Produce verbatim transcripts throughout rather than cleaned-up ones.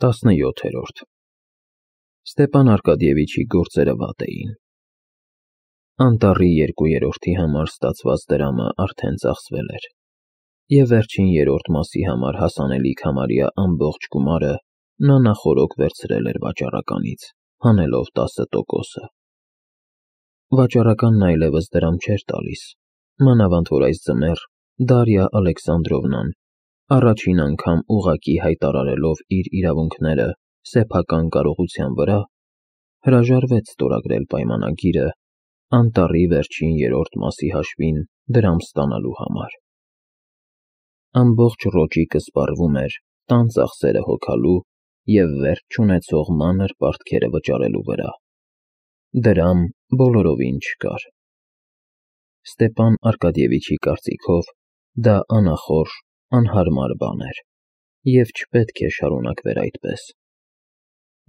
տասնյոթերորդ Ստեպան Արկադիևիչի գործերը վատ էին։ Անտառի երկուերորդի համար ստացված դրամը արդեն ծախսվել էր, և վերջին երրորդ մասի համար հասանելիք համարյա ամբողջ գումարը նա նախօրոք վերցրել էր վաճառականից, հանելով տասը տոկոսը։ Վաճառականն այլևս դրամ չէր տալիս, մանավանդ որ այս ձմեռ Դարիա Ալեքսանդրովնան, առաջին անգամ ուղղակի հայտարարելով իր իրավունքները սեփական կարողության վրա, հրաժարվեց ստորագրել պայմանագիրը անտառի վերջին երրորդ մասի հաշվին դրամ ստանալու համար։ Ամբողջ Ռոճիկը սպառվում էր տան ծախսերը հոգալու և վերջ չունեցող մանր պարտքերը վճարելու վրա։ Դրամ բոլորովին չկար։ Ստեպան Արկադիևիչի կարծիքով դա անախորժ, անհարմար բան էր, և չպետք է շարունակվեր այդպես։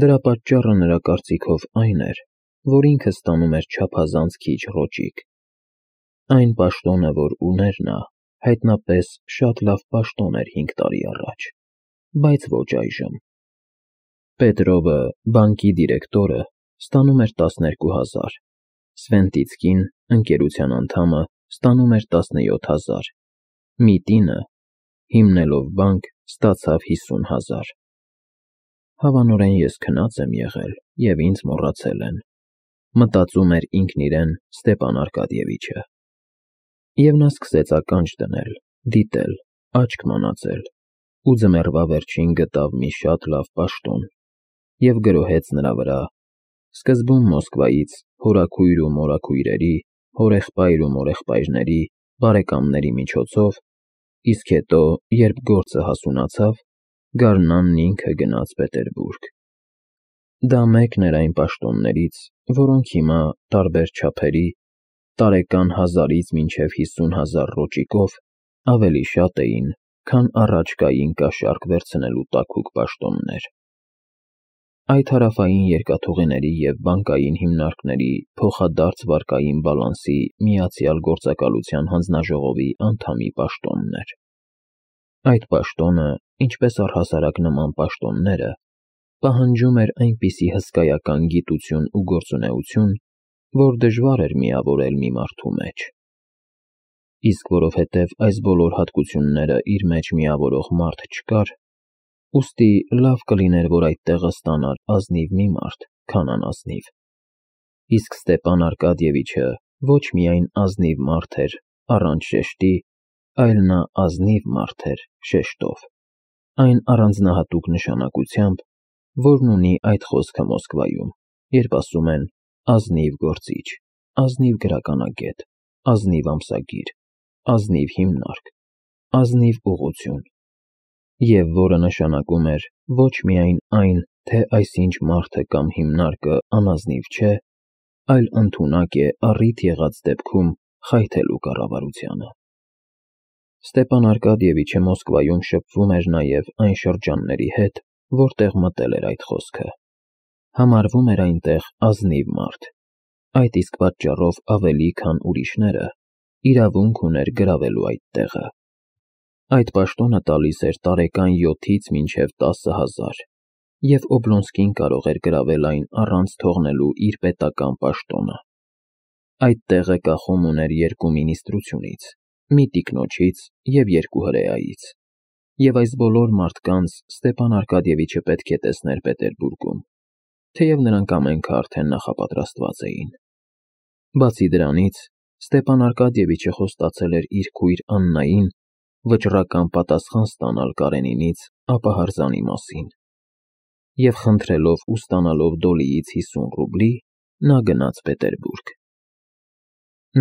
Դրա պատճառը նրա կարծիքով այն էր, որ ինքը ստանում էր չափազանց քիչ ռոճիկ։ Այն պաշտոնը, որ ուներ նա, հայտնապես շատ լավ պաշտոն էր հինգ տարի առաջ, բայց ոչ այժմ։ Պետրովը, բանկի դիրեկտորը, ստանում էր տասներկու հազար, Սվենտիցկին, ընկերության անդամը, ստանում էր տասնյոթ հազար, Միտինը, հիմնելով բանկ, ստացավ հիսուն հազար։ Հավանորեն ես քնած եմ եղել, և ինձ մոռացել են, մտածում էր ինքն իրեն Ստեպան Արկադիևիչը։ Եվ նա սկսեց ականջ դնել, դիտել, աչք մանածել, ու ձմեռվա վերջին գտավ մի շատ լավ պաշտոն և գրոհեց նրա վրա, սկզբում Մոսկվայից հորաքույր ու մորաքույրերի, հորեղբայր ու մորեղբայրների, բարեկամների միջոցով, իսկ հետո, երբ գործը հասունացավ, գարնանն ինքը գնաց Պետերբուրգ։ Դա մեկն էր այն պաշտոններից, որոնք հիմա, տարբեր չափերի, տարեկան հազարից մինչև հիսուն հազար ռոճիկով ավելի շատ էին, քան առաջ կային կաշառք վերցնելու տաքուկ պաշտոններ։ Այդ հարավային երկաթուղիների և բանկային հիմնարկների փոխադարձ վարկային բալանսի միացյալ գործակալության հանձնաժողովի անդամի պաշտոնն էր։ Այդ պաշտոնը, ինչպես առհասարակ նման պաշտոնները, պահանջում էր այնպիսի հսկայական գիտություն ու գործունեություն, որ դժվար էր միավորել մի մարդու մեջ։ Իսկ որովհետև այս բոլոր հատկությունները իր մեջ միավորող մարդ չկար, ուստի լավ կլիներ, որ այդ տեղը ստանար ազնիվ մի մարդ, քան անազնիվ։ Իսկ Ստեպան Արկադիևիչը ոչ միայն ազնիվ մարդ էր առանց շեշտի, այլ նա ազնիվ մարդ էր շեշտով, այն առանձնահատուկ նշանակությամբ, որն ունի այդ խոսքը Մոսկվայում, երբ ասում են ազնիվ գործիչ, ազնիվ գրականագետ, ազնիվ ամսագիր, ազնիվ հիմնարկ, ազնիվ ուղղություն, և որը նշանակում էր ոչ միայն այն, թե այսինչ մարդը կամ հիմնարկը անազնիվ չէ, այլ ընդունակ է առիթ եղած դեպքում խայթելու կառավարությանը։ Ստեպան Արկադիևիչը Մոսկվայում շփվում էր նաև այն շրջանների հետ, որտեղ մտել էր այդ խոսքը։ Համարվում էր այնտեղ ազնիվ մարդ, այդ իսկ պատճառով ավելի, քան ուրիշները, իրավունք ուներ գրավելու այդ տեղը։ Այդ պաշտոնը տալիս էր տարեկան յոթից մինչև տասը հազար, և Օբլոնսկին կարող էր գրավել այն առանց թողնելու իր պետական պաշտոնը։ Այդ տեղը կախում ուներ երկու մինիստրությունից, մի տիկնոջից և երկու հրեայից, և այս բոլոր մարդկանց Ստեպան Արկադիևիչը պետք է տեսներ Պետերբուրգում, թեև նրանք ամենքը արդեն նախապատրաստված էին։ Բացի դրանից, Ստեպան Արկադիևիչը խոստացել էր իր քույր Աննային վճռական պատասխան ստանալ Կարենինից ապահարզանի մասին, և խնդրելով ու ստանալով Դոլիից հիսուն ռուբլի, նա գնաց Պետերբուրգ։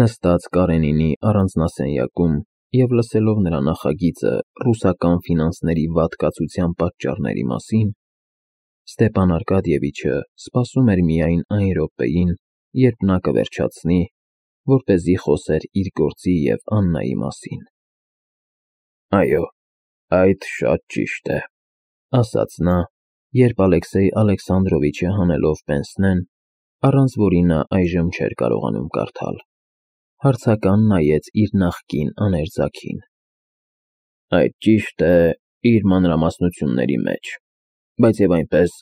Նստած Կարենինի առանձնասենյակում և լսելով նրա նախագիծը ռուսական ֆինանսների վատ կացության պատճառների մասին, Ստեպան Արկադիևիչը սպասում էր միայն այն րոպեին, երբ նա կվերջացնի, որպեսզի խոսեր իր գործի և Աննայի մասին։ «Այո, այդ շատ ճիշտ է», ֊ ասաց նա, երբ Ալեքսեյ Ալեքսանդրովիչը հանելով պենսնեն, առանց որի նա այժմ չէր կարողանում կարդալ, հարցական նայեց իր նախկին աներձակին։ «Այդ ճիշտ է իր մանրամասնությունների մեջ, բայց եւ այնպես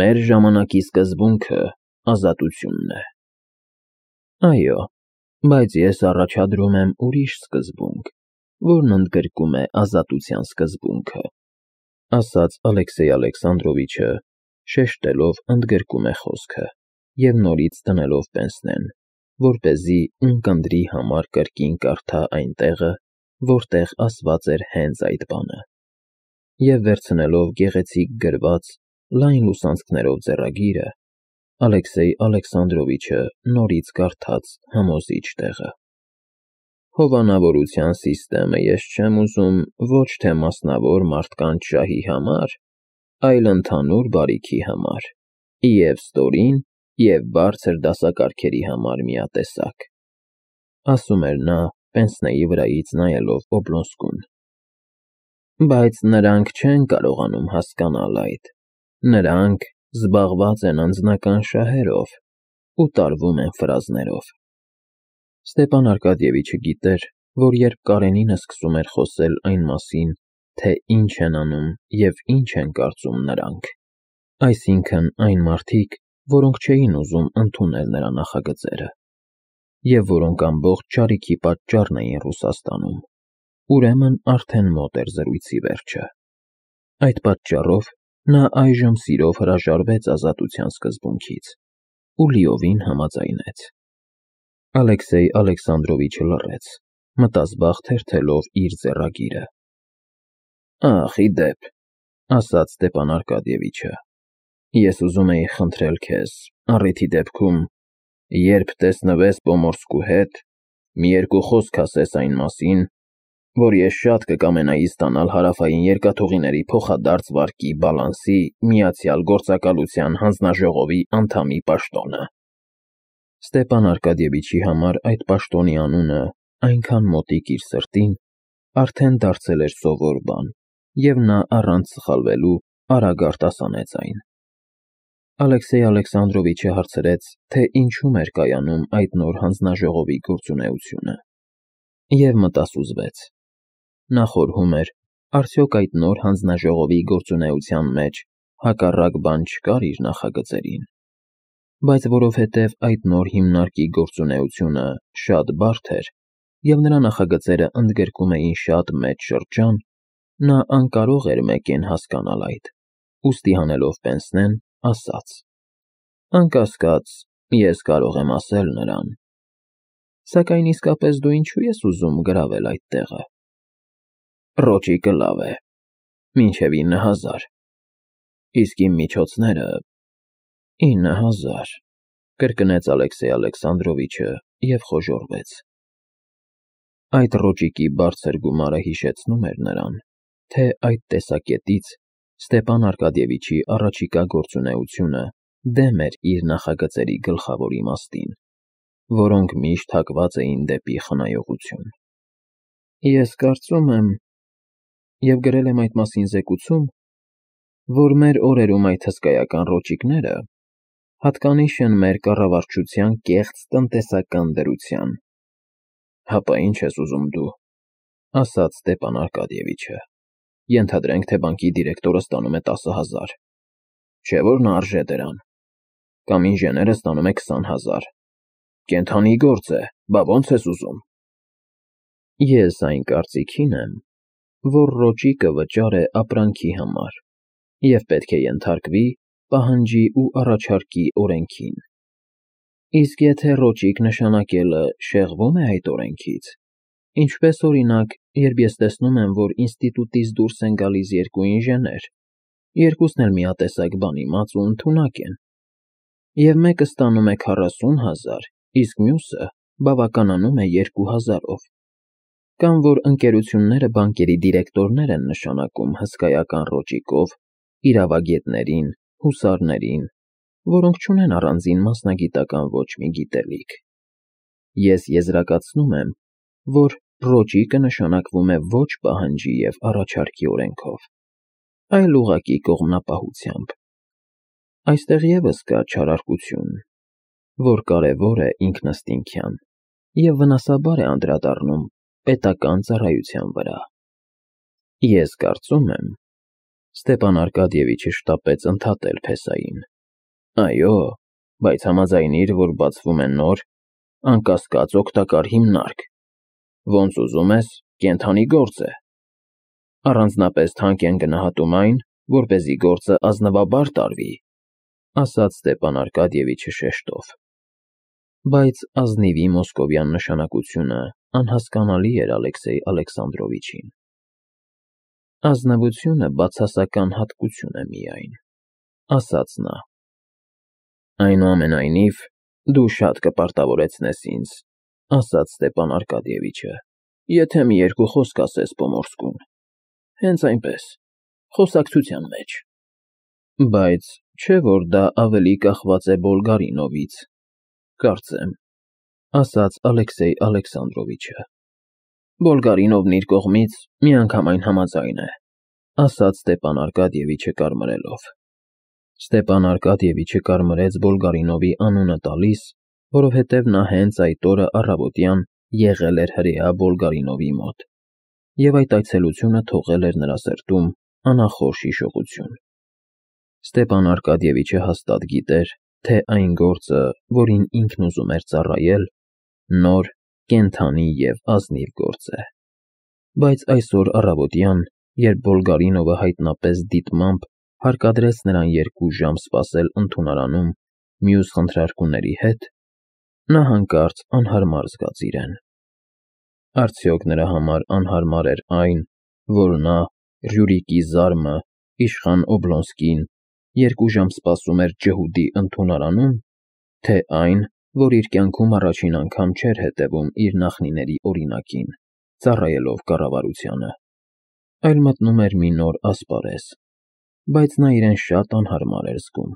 մեր ժամանակի սկզբունքը ազատությունն է։ Այո, բայց ես առաջադրում եմ ուրիշ սկզբունք, որն ընդգրկում է ազատության սկզբունքը, ասաց Ալեքսեյ Ալեքսանդրովիչը, շեշտելով ընդգրկում է խոսքը եւ նորից դնելով պենսնեն, որպեսզի ունկնդրի համար կրկին կարդա այն տեղը, որտեղ ասված էր հենց այդ բանը, եւ վերցնելով գեղեցիկ գրված լայն լուսանցքներով ձեռագիրը, Ալեքսեյ Ալեքսանդրովիչը նորից կարդաց համոզիչ տեղը. Հովանավորության սիստեմը ես չեմ ուզում ոչ թե մասնավոր մարդկանց շահի համար, այլ ընդհանուր բարիքի համար, և ստորին և բարձր դասակարգերի համար միատեսակ, ասում էր նա պենսնեի վրայից նայելով Օբլոնսկուն։ Բայց նրանք չեն կարողանում հասկանալ այդ, նրանք զբաղված են անձնական շահերով ու տարվում են ֆրազներով։ Ստեպան Արկադիևիչը գիտեր, որ երբ Կարենինը սկսում էր խոսել այն մասին, թե ինչ են անում և ինչ են կարծում նրանք, այսինքն այն մարդիկ, որոնք չէին ուզում ընդունել նրա նախագծերը, և որոնք ամբողջ չարիքի պատճառն էին Ռուսաստանում, ուրեմն արդեն մոտ էր զրույցի վերջը։ Այդ պատճառով նա այժմ սիրով հրաժարվեց ազատության սկզբունքից ու լիովին համաձայնեց։ Ալեքսեյ Ալեքսանդրովիչը լռեց, մտազբաղ թերթելով իր ձեռագիրը։ Ախ, ի դեպ, ասաց Ստեպան Արկադիևիչը, ես ուզում էի խնդրել քեզ, առիթի դեպքում, երբ տեսնվես Պոմորսկու հետ, մի երկու խոսք ասես այն մասին, որ ես շատ կկամենայի ստանալ Հարավային երկաթուղիների փոխադարձ վարկի բալանսի Միացյալ Գործակալության հանձնաժողովի անդամի պաշտոնը։ Ստեպան Արկադիևիչի համար այդ պաշտոնի անունը այնքան մոտիկ իր սրտին, արդեն դարձել էր սովոր բան, և նա առանց սխալվելու արագ արտասանեց այն։ Ալեքսեյ Ալեքսանդրովիչը հարցրեց, թե ինչում էր կայանում այդ նոր հանձնաժողովի գործունեությունը, և մտասուզվեց։ Նա խորհում էր, արդյոք այդ նոր հանձնաժողովի գործունեության մեջ հակառակ բան չկար իր նախագծերին, բայց որովհետև այդ նոր հիմնարկի գործունեությունը շատ բարդ էր, և նրա նախագծերը ընդգրկում էին շատ մեծ շրջան, նա անկարող էր մեկեն հասկանալ այդ, ուստի հանելով պենսնեն, ասաց. Անկասկած, ես կարող եմ ասել նրան, սակայն իսկապես դու ինչու ես ուզում գրավել այդ տեղը։ Ռոճիկը լավ է, մինչև ինը հազար, իսկ իմ միջոցները ինը հազար, կրկնեց Ալեքսեյ Ալեքսանդրովիչը և խոժոռվեց։ Այդ ռոճիկի բարձր գումարը հիշեցնում էր նրան, թե այդ տեսակետից Ստեպան Արկադիևիչի առաջիկա գործունեությունը դեմ էր իր նախագծերի գլխավոր իմաստին, որոնք միշտ հակված էին դեպի խնայողություն։ Ես կարծում եմ, և գրել եմ այդ մասին զեկուցում, որ մեր օրերում այդ հսկայական ռոճիկները հատկանիշ են մեր կառավարչության կեղծ տնտեսական դրության։ Հապա ինչ ես ուզում դու, ասաց Ստեպան Արկադիևիչը, ենթադրենք, թե բանկի դիրեկտորը ստանում է տասը հազար, չէ՞ որ նա արժե դրան, կամ ինժեները ստանում է քսան հազար, կենդանի գործ է, բա ո՞նց ես ուզում։ Ես այն կարծիքին եմ, որ ռոճիկը վճար է ապրանքի համար և պետք է ենթարկվի պահանջի ու առաջարկի օրենքին։ Իսկ եթե ռոճիկ նշանակելը շեղվում է այդ օրենքից, ինչպես օրինակ, երբ ես տեսնում եմ, որ ինստիտուտից դուրս են գալիս երկու ինժեներ, երկուսն էլ միատեսակ բան իմաց ու ընդունակ են, և մեկը ստանում է քառասուն հազար, իսկ մյուսը բավականանում է երկու հազարով, կամ որ ընկերությունները բանկերի դիրեկտորներ են նշանակում հսկայական ռոճիկով իրավագետներին, հուսարներին, որոնք չունեն առանձին մասնագիտական ոչ մի գիտելիք։ Ես եզրակացնում եմ, որ ռոճիկը նշանակվում է ոչ պահանջի և առաջարկի օրենքով, այլ ուղղակի կողմնապահությամբ։ Այստեղ ևս կա չարարկություն, որ կարևոր է ինքնըստինքյան և վնասաբար է անդրադառնում պետական ծառայության վրա։ Ես կարծում եմ, Ստեպան Արկադիևիչը շտապեց ընդհատել փեսային. Այո, բայց համաձայնիր, որ բացվում է նոր, անկասկած օգտակար հիմնարկ, ոնց ուզում ես, կենդանի գործ է։ Առանձնապես թանկ են գնահատում այն, որպեսզի գործը ազնվաբար տարվի, ասաց Ստեպան Արկադիևիչը շեշտով։ Բայց ազնիվի մոսկովյան նշանակությունը անհասկանալի էր Ալեքսեյ Ալեքսանդրովիչին։ Ազնվությունը բացասական հատկություն է միայն, ասաց նա։ Այնուամենայնիվ, դու շատ կպարտավորեցնես ինձ, ասաց Ստեպան Արկադիևիչը, եթե մի երկու խոսք ասես Պոմորսկուն։ Հենց այնպես, խոսակցության մեջ։ Բայց չէ՞ որ դա ավելի կախված է Բոլգարինովից, կարծեմ, ասաց Ալեքսեյ Ալեքսանդրովիչը։ Բոլգարինովն իր կողմից միանգամայն համաձայն է, ասաց Ստեպան Արկադիևիչը կարմրելով։ Ստեպան Արկադիևիչը կարմրեց Բոլգարինովի անունը տալիս, որովհետև նա հենց այդ օրը առավոտյան եղել էր հրեա Բոլգարինովի մոտ, և այդ այցելությունը թողել էր նրա սրտում անախորժ հիշողություն։ Ստեպան Արկադիևիչը հաստատ գիտեր, թե այն գործը, որին ինքն ուզում էր ծառայել, նոր, կենդանի և ազնիվ գործ է։ Բայց այսօր առավոտյան, երբ Բոլգարինովը հայտնապես դիտմամբ հարկադրեց նրան երկու ժամ սպասել ընդունարանում մյուս խնդրարկուների հետ, նա հանկարծ անհարմար զգաց իրեն։ Արդյոք նրա համար անհարմար էր այն, որ նա, Ռյուրիկի զարմը, իշխան Օբլոնսկին, երկու ժամ սպասում էր ջհուդի ընդունարանում, թե այն, որ իր կյանքում առաջին անգամ չէր հետևում իր նախնիների օրինակին, ծառայելով կառավարությանը, այլ մտնում էր մի նոր ասպարեզ, բայց նա իրեն շատ անհարմար էր զգում։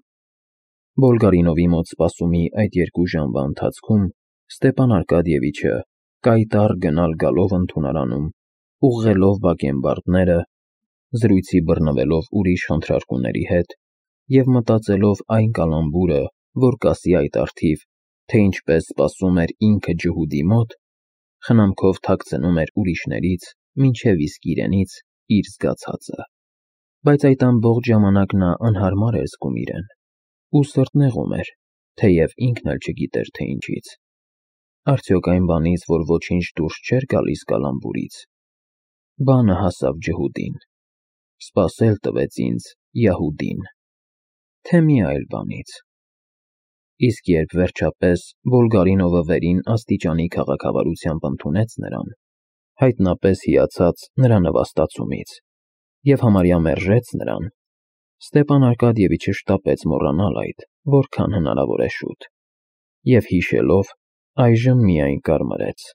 Բոլգարինովի մոտ սպասումի այդ երկու ժամվա ընթացքում Ստեպան Արկադիևիչը կայտառ գնալ֊գալով ընդունարանում, ուղղելով բակենբարդները, զրույցի բռնվելով ուրիշ խնդրարկուների հետ և մտածելով այն կալանբուրը, որ կասի այդ առթիվ, թե ինչպես սպասում էր ինքը ջհուդի մոտ, խնամքով թաքցնում էր ուրիշներից, մինչև իսկ իրենից իր զգացածը։ Բայց այդ ամբողջ ժամանակ նա անհարմար էր զգում իրեն, ու սրտնեղում էր, թեև ինքն էլ չգիտեր, թե ինչից։ Արդյոք այն բանից, որ ոչինչ դուրս չէր գալիս կալանբուրից։ Բանը հասավ ջհուդին։ Սպասել տվեց ինձ Յահուդին, թե մի այլ բանից։ Իսկ երբ վերջապես Բոլգարինովը վերին աստիճանի քաղաքավարությամբ ընդունեց նրան, հայտնապես հիացած նրա նվաստացումից, և համարյա մերժեց նրան, Ստեպան Արկադիևիչը շտապեց մոռանալ այդ, որքան հնարավոր է շուտ, և հիշելով, այժմ միայն կարմրեց։